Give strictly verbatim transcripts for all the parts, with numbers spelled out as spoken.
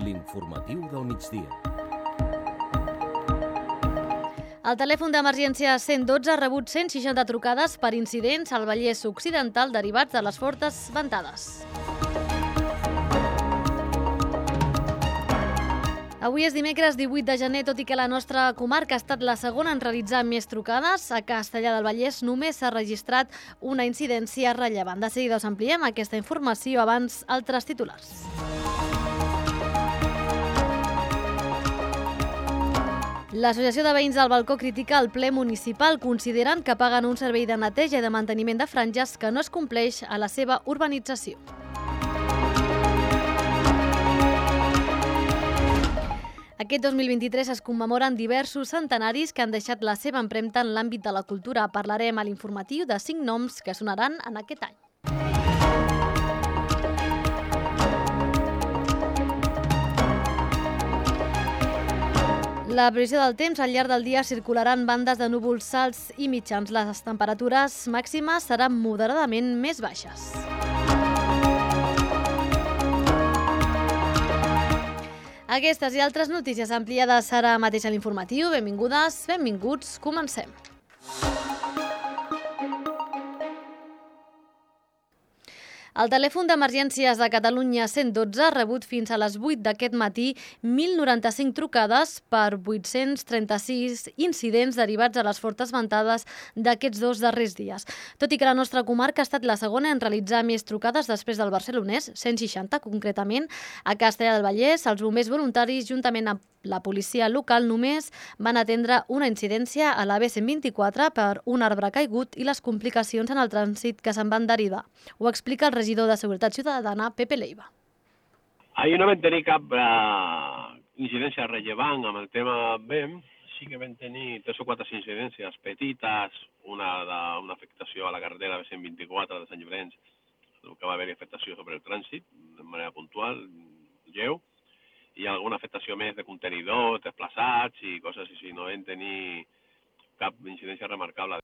L'informatiu del migdia. El telèfon d'emergència cent dotze ha rebut cent seixanta trucades per incidents al Vallès Occidental derivats de les fortes ventades. Avui és dimecres divuit de gener, tot i que la nostra comarca ha estat la segona en realitzar més trucades. A Castellar del Vallès només s'ha registrat una incidència rellevant. De seguida us ampliem aquesta informació, abans altres titulars. L'Associació de Veïns del Balcó critica el ple municipal, considerant que paguen un servei de neteja i de manteniment de franges que no es compleix a la seva urbanització. Aquest dos mil vint-i-tres es commemoren diversos centenaris que han deixat la seva empremta en l'àmbit de la cultura. Parlarem a l'informatiu de cinc noms que sonaran en aquest any. La previsió del temps: al llarg del dia circularan bandes de núvols alts i mitjans. Les temperatures màximes seran moderadament més baixes. Aquestes i altres notícies ampliades ara mateix a l'informatiu. Benvingudes, benvinguts, comencem. El telèfon d'emergències de Catalunya cent dotze ha rebut fins a les vuit d'aquest matí mil noranta-cinc trucades per vuit-cents trenta-sis incidents derivats de les fortes ventades d'aquests dos darrers dies. Tot i que la nostra comarca ha estat la segona en realitzar més trucades després del barcelonès, cent seixanta concretament, a Castellar del Vallès, els bombers voluntaris, juntament amb la policia local, només van atendre una incidència a la B cent vint-i-quatre per un arbre caigut i les complicacions en el trànsit que se'n van derivar. Ho explica el regidor de Seguretat Ciutadana, Pepe Leiva. Ahir no vam tenir cap eh, incidència rellevant amb el tema B E M. Sí que vam tenir tres o quatre incidències petites, una d'una afectació a la carretera B cent vint-i-quatre de Sant Llorenç, que va haver-hi afectació sobre el trànsit, de manera puntual, lleu, i alguna afectació més de contenidors, desplaçats i coses així. No vam tenir cap incidència remarcable.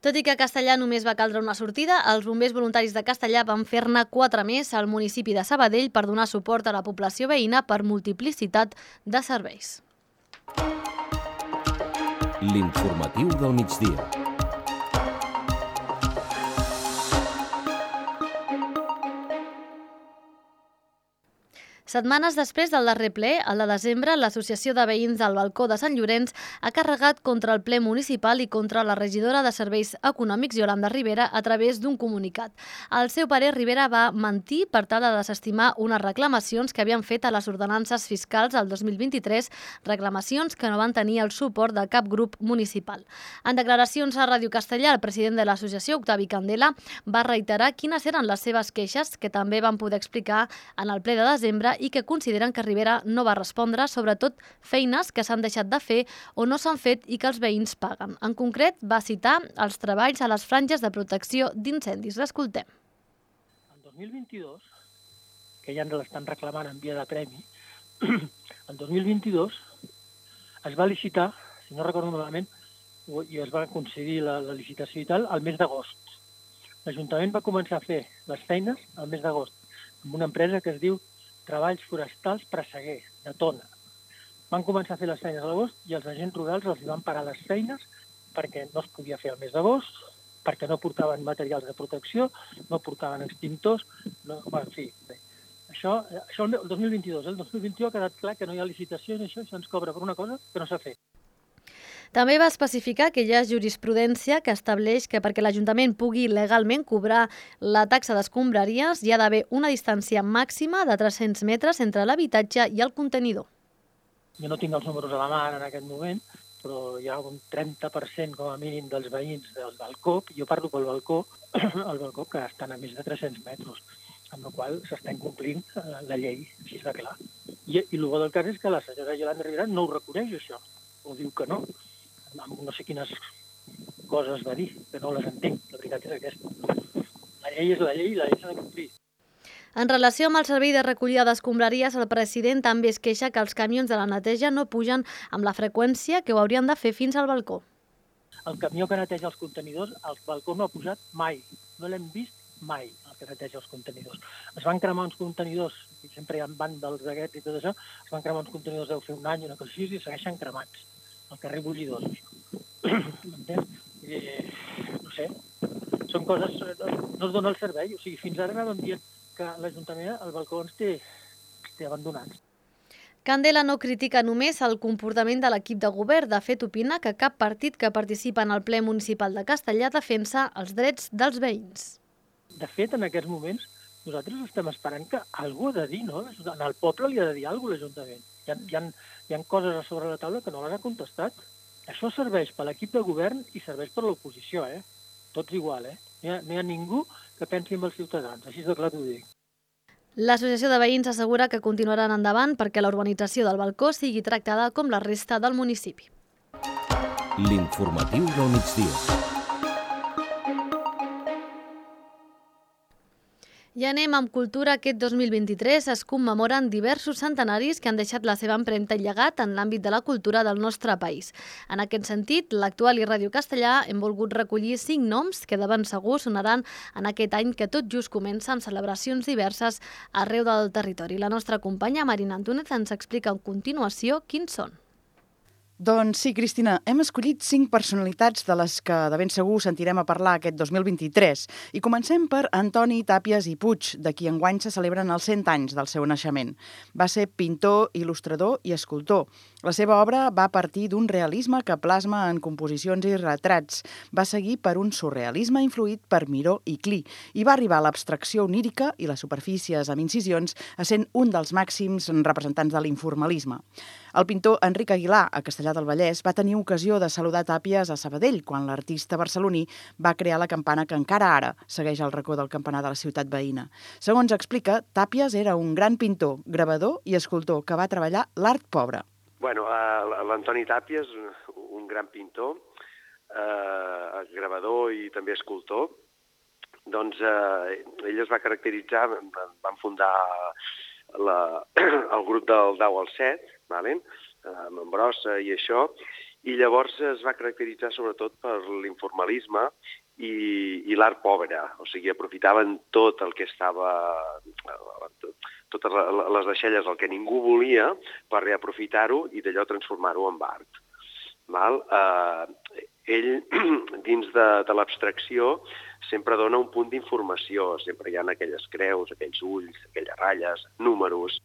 Tot i que a Castellar només va caldre una sortida, els bombers voluntaris de Castellar van fer-ne quatre més al municipi de Sabadell per donar suport a la població veïna per multiplicitat de serveis. L'informatiu del migdia. Setmanes després del darrer ple, al de desembre, l'Associació de Veïns del Balcó de Sant Llorenç ha carregat contra el ple municipal i contra la regidora de Serveis Econòmics, Yolanda Rivera, a través d'un comunicat. Al seu parer, Rivera va mentir per tal de desestimar unes reclamacions que havien fet a les ordenances fiscals el dos mil vint-i-tres, reclamacions que no van tenir el suport de cap grup municipal. En declaracions a Ràdio Castellar, el president de l'associació, Octavi Candela, va reiterar quines eren les seves queixes, que també van poder explicar en el ple de desembre, i que consideren que Rivera no va respondre, sobretot feines que s'han deixat de fer o no s'han fet i que els veïns paguen. En concret, va citar els treballs a les franges de protecció d'incendis. L'escoltem. En dos mil vint-i-dos, que ja ens l'estan reclamant en via de premi, en dos mil vint-i-dos es va licitar, si no recordo malament, i es va concedir la, la licitació i tal, al mes d'agost. L'Ajuntament va començar a fer les feines al mes d'agost amb una empresa que es diu Treballs Forestals Presseguer, de Tona. Van començar a fer les feines a l'agost i els agents rurals els van parar les feines perquè no es podia fer al mes d'agost, perquè no portaven materials de protecció, no portaven extintors, no, bueno, en fi. Bé. Això, això el dos mil vint-i-dos, el dos mil vint-i-u ha quedat clar que no hi ha licitació i això, això ens cobra per una cosa que no s'ha fet. També va especificar que hi ha jurisprudència que estableix que perquè l'Ajuntament pugui legalment cobrar la taxa d'escombraries hi ha d'haver una distància màxima de tres-cents metres entre l'habitatge i el contenidor. Jo no tinc els números a la mà en aquest moment, però hi ha un trenta per cent com a mínim dels veïns del balcó, jo parlo pel balcó, el balcó que estan a més de tres-cents metres, amb la qual s'està incomplint la llei, així de clar. I, i el bo del cas és que la senyora Yolanda Rivera no ho reconeix, això, o diu que no. No sé quines coses va dir, que no les entenc, la veritat és aquesta. La llei és la llei i la llei s'ha de complir. En relació amb el servei de recollida d'escombraries, el president també es queixa que els camions de la neteja no pugen amb la freqüència que ho haurien de fer fins al balcó. El camió que neteja els contenidors al balcó no ha posat mai, no l'hem vist mai, el que neteja els contenidors. Es van cremar uns contenidors i sempre hi ha vàndals d'aquests i tot això, es van cremar uns contenidors deu fer un any, una cosa així, i segueixen cremats al carrer Bullidors. M'entens? Eh, no sé, són coses... No es dona el servei, o sigui, fins ara anàvem dient que l'Ajuntament, el balcó ens té, té abandonats. Candela no critica només el comportament de l'equip de govern. De fet, opina que cap partit que participa en el ple municipal de Castellar defensa els drets dels veïns. De fet, en aquests moments, nosaltres estem esperant que algú ha de dir, no? En el poble li ha de dir alguna cosa l'Ajuntament. Hi ha, hi, ha, hi ha coses a sobre la taula que no les ha contestat. Això serveix per l'equip de govern i serveix per l'oposició, eh? Tots igual, eh? No hi ha, no hi ha ningú que pensi en els ciutadans, així de clar t'ho dic. L'associació de veïns assegura que continuaran endavant perquè la urbanització del balcó sigui tractada com la resta del municipi. L'informatiu del migdia. I anem amb cultura. Aquest dos mil vint-i-tres es commemoren diversos centenaris que han deixat la seva empremta i llegat en l'àmbit de la cultura del nostre país. En aquest sentit, l'Actual i Ràdio Castellà hem volgut recollir cinc noms que de ben segur sonaran en aquest any que tot just comença amb celebracions diverses arreu del territori. La nostra companya Marina Antúnez ens explica a continuació quins són. Doncs sí, Cristina, hem escollit cinc personalitats de les que de ben segur sentirem a parlar aquest dos mil vint-i-tres. I comencem per Antoni Tàpies i Puig, de qui enguany se celebren els cent anys del seu naixement. Va ser pintor, il·lustrador i escultor. La seva obra va partir d'un realisme que plasma en composicions i retrats. Va seguir per un surrealisme influït per Miró i Clee i va arribar a l'abstracció onírica i les superfícies amb incisions a sent un dels màxims representants de l'informalisme. El pintor Enric Aguilar, a Castellar del Vallès, va tenir ocasió de saludar Tàpies a Sabadell quan l'artista barceloní va crear la campana que encara ara segueix el racó del campanar de la ciutat veïna. Segons explica, Tàpies era un gran pintor, gravador i escultor que va treballar l'art pobre. Bueno, l'Antoni Tàpies, un gran pintor, eh, gravador i també escultor, doncs eh, ell es va caracteritzar, van fundar la, el grup del deu al set, vale? amb Brossa i això, i llavors es va caracteritzar sobretot per l'informalisme i, i l'art pobre, o sigui, aprofitaven tot el que estava, totes les deixalles, el que ningú volia, per reaprofitar-ho i d'allò transformar-ho en art. Val? Eh, ell, dins de, de l'abstracció, sempre dona un punt d'informació, sempre hi ha aquelles creus, aquells ulls, aquelles ratlles, números.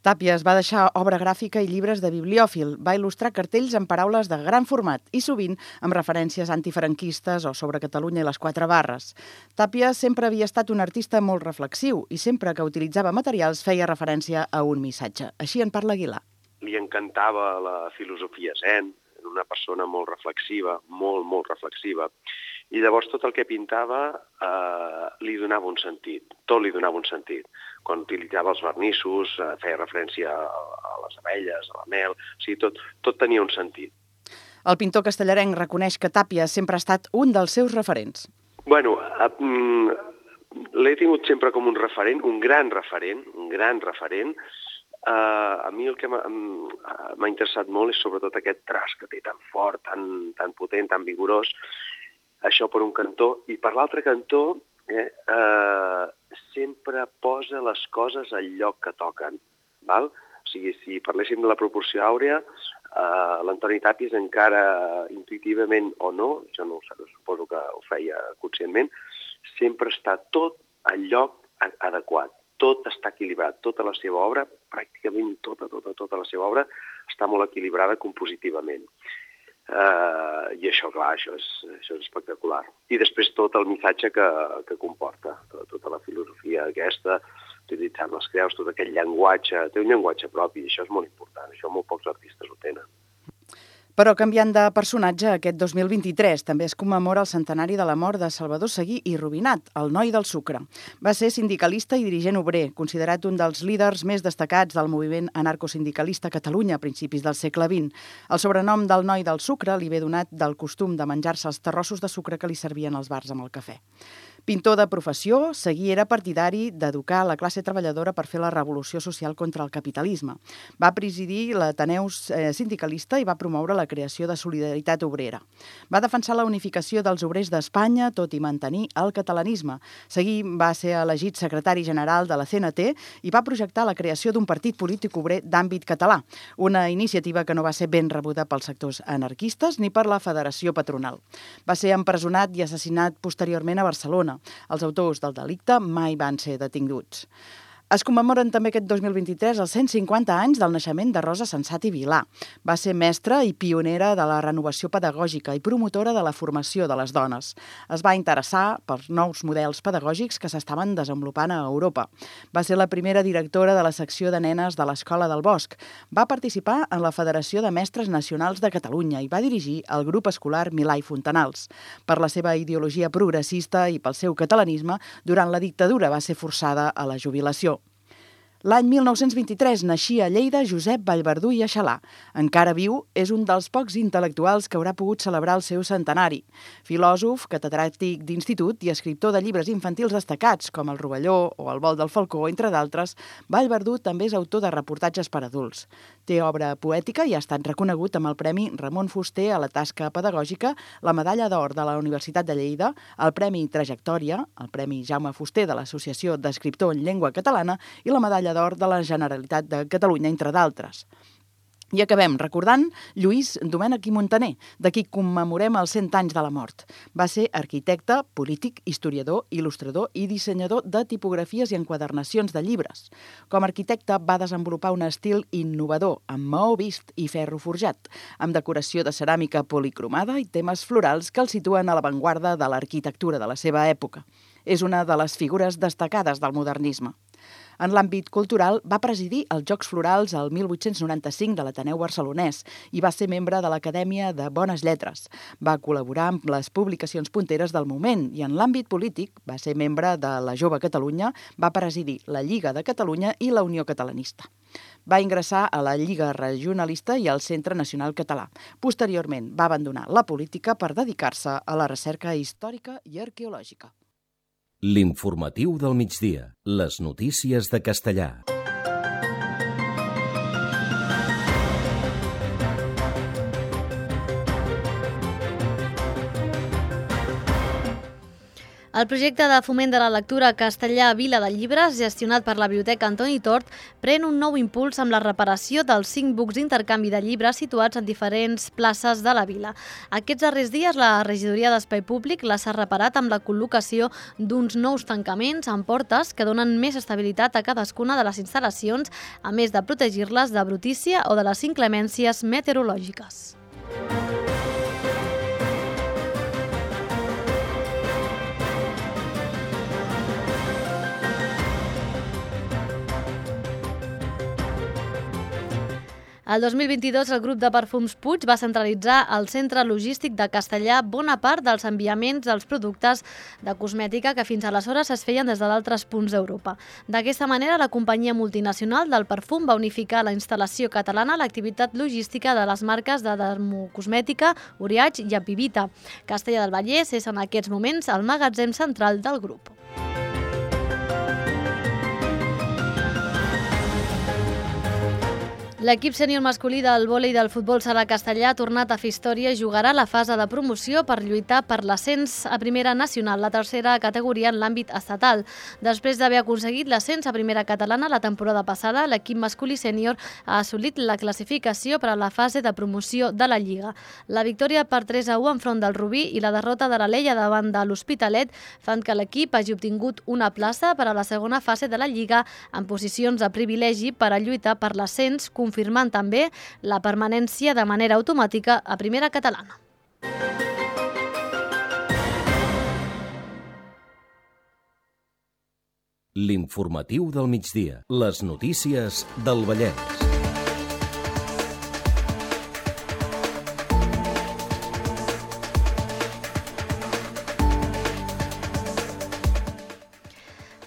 Tàpies va deixar obra gràfica i llibres de bibliòfil, va il·lustrar cartells amb paraules de gran format i sovint amb referències antifranquistes o sobre Catalunya i les quatre barres. Tàpies sempre havia estat un artista molt reflexiu i sempre que utilitzava materials feia referència a un missatge. Així en parla Aguilar. Li encantava la filosofia zen, era una persona molt reflexiva, molt, molt reflexiva. I llavors tot el que pintava eh, li donava un sentit, tot li donava un sentit. Quan utilitzava els vernissos, eh, feia referència a, a les abelles, a la mel, o sigui, tot, tot tenia un sentit. El pintor castellarenc reconeix que Tàpies sempre ha estat un dels seus referents. Bueno, eh, l'he tingut sempre com un referent, un gran referent, un gran referent. Eh, a mi el que m'ha interessat molt és sobretot aquest traç que té tan fort, tan, tan potent, tan vigorós. Això per un cantó. I per l'altre cantó, eh, eh, sempre posa les coses al lloc que toquen. Val? O sigui, si parléssim de la proporció àurea, eh, l'Antoni Tàpies encara intuïtivament o no, jo no ho sé, suposo que ho feia conscientment, sempre està tot al lloc adequat. Tot està equilibrat. Tota la seva obra, pràcticament tota, tota, tota la seva obra, està molt equilibrada compositivament. Uh, I això, clar, això és, això és espectacular. I després tot el missatge que, que comporta, tota, tota la filosofia aquesta, utilitzant les creus, tot aquest llenguatge, té un llenguatge propi, i això és molt important, això molt pocs artistes ho tenen. Però canviant de personatge, aquest dos mil vint-i-tres també es commemora el centenari de la mort de Salvador Seguí i Rubinat, el noi del sucre. Va ser sindicalista i dirigent obrer, considerat un dels líders més destacats del moviment anarcosindicalista a Catalunya a principis del segle vint. El sobrenom del noi del sucre li ve donat del costum de menjar-se els terrossos de sucre que li servien als bars amb el cafè. Pintor de professió, Seguí era partidari d'educar la classe treballadora per fer la revolució social contra el capitalisme. Va presidir l'Ateneu sindicalista i va promoure la creació de Solidaritat Obrera. Va defensar la unificació dels obrers d'Espanya, tot i mantenir el catalanisme. Seguí va ser elegit secretari general de la C N T i va projectar la creació d'un partit polític obrer d'àmbit català, una iniciativa que no va ser ben rebuda pels sectors anarquistes ni per la Federació Patronal. Va ser empresonat i assassinat posteriorment a Barcelona. Els autors del delicte mai van ser detinguts. Es commemoren també aquest dos mil vint-i-tres els cent cinquanta anys del naixement de Rosa Sensat i Vilà. Va ser mestra i pionera de la renovació pedagògica i promotora de la formació de les dones. Es va interessar pels nous models pedagògics que s'estaven desenvolupant a Europa. Va ser la primera directora de la secció de nenes de l'Escola del Bosc. Va participar en la Federació de Mestres Nacionals de Catalunya i va dirigir el grup escolar Milà i Fontanals. Per la seva ideologia progressista i pel seu catalanisme, durant la dictadura va ser forçada a la jubilació. L'any mil nou-cents vint-i-tres naixia a Lleida Josep Vallverdú i Aixalà. Encara viu, és un dels pocs intel·lectuals que haurà pogut celebrar el seu centenari. Filòsof, catedràtic d'institut i escriptor de llibres infantils destacats, com El Rovelló o El vol del falcó, entre d'altres, Vallverdú també és autor de reportatges per adults. Té obra poètica i ha estat reconegut amb el Premi Ramon Fuster a la tasca pedagògica, la Medalla d'Or de la Universitat de Lleida, el Premi Trajectòria, el Premi Jaume Fuster de l'Associació d'Escriptor en Llengua Catalana i la Medalla d'Or de la Generalitat de Catalunya, entre d'altres. I acabem recordant Lluís Domènech i Montaner, de qui commemorem els cent anys de la mort. Va ser arquitecte, polític, historiador, il·lustrador i dissenyador de tipografies i enquadernacions de llibres. Com a arquitecte va desenvolupar un estil innovador, amb maó vist i ferro forjat, amb decoració de ceràmica policromada i temes florals que el situen a l'avantguarda de l'arquitectura de la seva època. És una de les figures destacades del modernisme. En l'àmbit cultural, va presidir els Jocs Florals el mil vuit-cents noranta-cinc de l'Ateneu Barcelonès i va ser membre de l'Acadèmia de Bones Lletres. Va col·laborar amb les publicacions punteres del moment i en l'àmbit polític va ser membre de la Jove Catalunya, va presidir la Lliga de Catalunya i la Unió Catalanista. Va ingressar a la Lliga Regionalista i al Centre Nacional Català. Posteriorment va abandonar la política per dedicar-se a la recerca històrica i arqueològica. L'informatiu del migdia. Les notícies de Castellà. El projecte de foment de la lectura castellà Vila de Llibres, gestionat per la Biblioteca Antoni Tort, pren un nou impuls amb la reparació dels cinc bucs d'intercanvi de llibres situats en diferents places de la vila. Aquests darrers dies, la regidoria d'Espai Públic les ha reparat amb la col·locació d'uns nous tancaments amb portes que donen més estabilitat a cadascuna de les instal·lacions, a més de protegir-les de brutícia o de les inclemències meteorològiques. El dos mil vint-i-dos, el grup de perfums Puig va centralitzar al centre logístic de Castellà bona part dels enviaments dels productes de cosmètica que fins aleshores es feien des d'altres punts d'Europa. D'aquesta manera, la companyia multinacional del perfum va unificar la instal·lació catalana a l'activitat logística de les marques de dermocosmètica, Uriage i Apivita. Castellà del Vallès és en aquests moments el magatzem central del grup. L'equip sènior masculí del vòlei del futbol sala castellà ha tornat a fer història i jugarà la fase de promoció per lluitar per l'ascens a primera nacional, la tercera categoria en l'àmbit estatal. Després d'haver aconseguit l'ascens a primera catalana la temporada passada, l'equip masculí sènior ha assolit la classificació per a la fase de promoció de la Lliga. La victòria per tres a u enfront del Rubí i la derrota de l'Alella davant de l'Hospitalet fan que l'equip hagi obtingut una plaça per a la segona fase de la Lliga en posicions de privilegi per a lluitar per l'ascens, confirmant també la permanència de manera automàtica a primera catalana. L'informatiu del migdia. Les notícies del Vallès.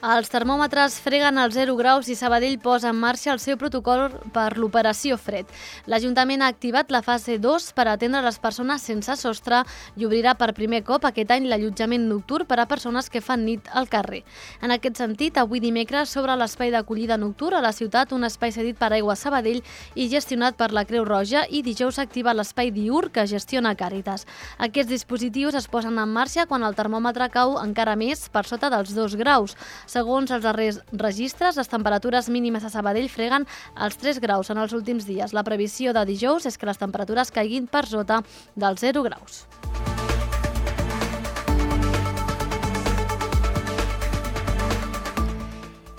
El Els termòmetres freguen als zero graus i Sabadell posa en marxa el seu protocol per l'operació fred. L'Ajuntament ha activat la fase dos per atendre les persones sense sostre i obrirà per primer cop aquest any l'allotjament nocturn per a persones que fan nit al carrer. En aquest sentit, avui dimecres s'obre l'espai d'acollida nocturn a la ciutat, un espai cedit per Aigua Sabadell i gestionat per la Creu Roja, i dijous s'activa l'espai diürn que gestiona Càritas. Aquests dispositius es posen en marxa quan el termòmetre cau encara més per sota dels dos graus. Segons els darrers registres, les temperatures mínimes a Sabadell freguen els tres graus en els últims dies. La previsió de dijous és que les temperatures caiguin per sota dels zero graus.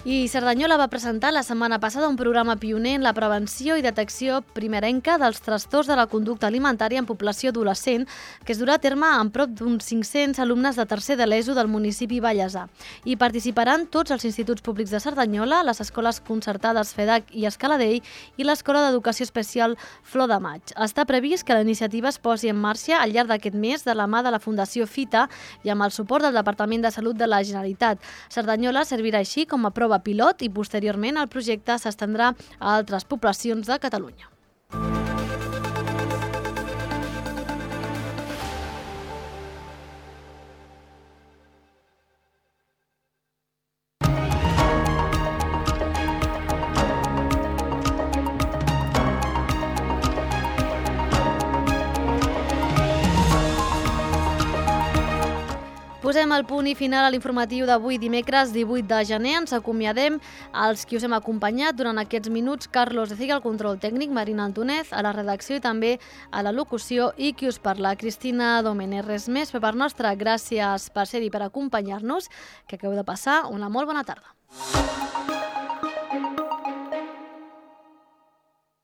I Cerdanyola va presentar la setmana passada un programa pioner en la prevenció i detecció primerenca dels trastorns de la conducta alimentària en població adolescent, que es durà a terme amb prop d'uns cinc-cents alumnes de tercer de l'ESO del municipi Vallèsà. Hi participaran tots els instituts públics de Cerdanyola, les escoles concertades FEDAC i Escaladell i l'Escola d'Educació Especial Flor de Maig. Està previst que la iniciativa es posi en marxa al llarg d'aquest mes de la mà de la Fundació Fita i amb el suport del Departament de Salut de la Generalitat. Cerdanyola servirà així com a prova pilot i posteriorment el projecte s'estendrà a altres poblacions de Catalunya. Posem el punt i final a l'informatiu d'avui dimecres divuit de gener. Ens acomiadem als qui us hem acompanyat durant aquests minuts. Carlos de Ciga, al control tècnic, Marina Antonez, a la redacció i també a la locució, i qui us parla, Cristina Domènech. Res més per part nostra. Gràcies per ser-hi, per acompanyar-nos, que acabeu de passar una molt bona tarda.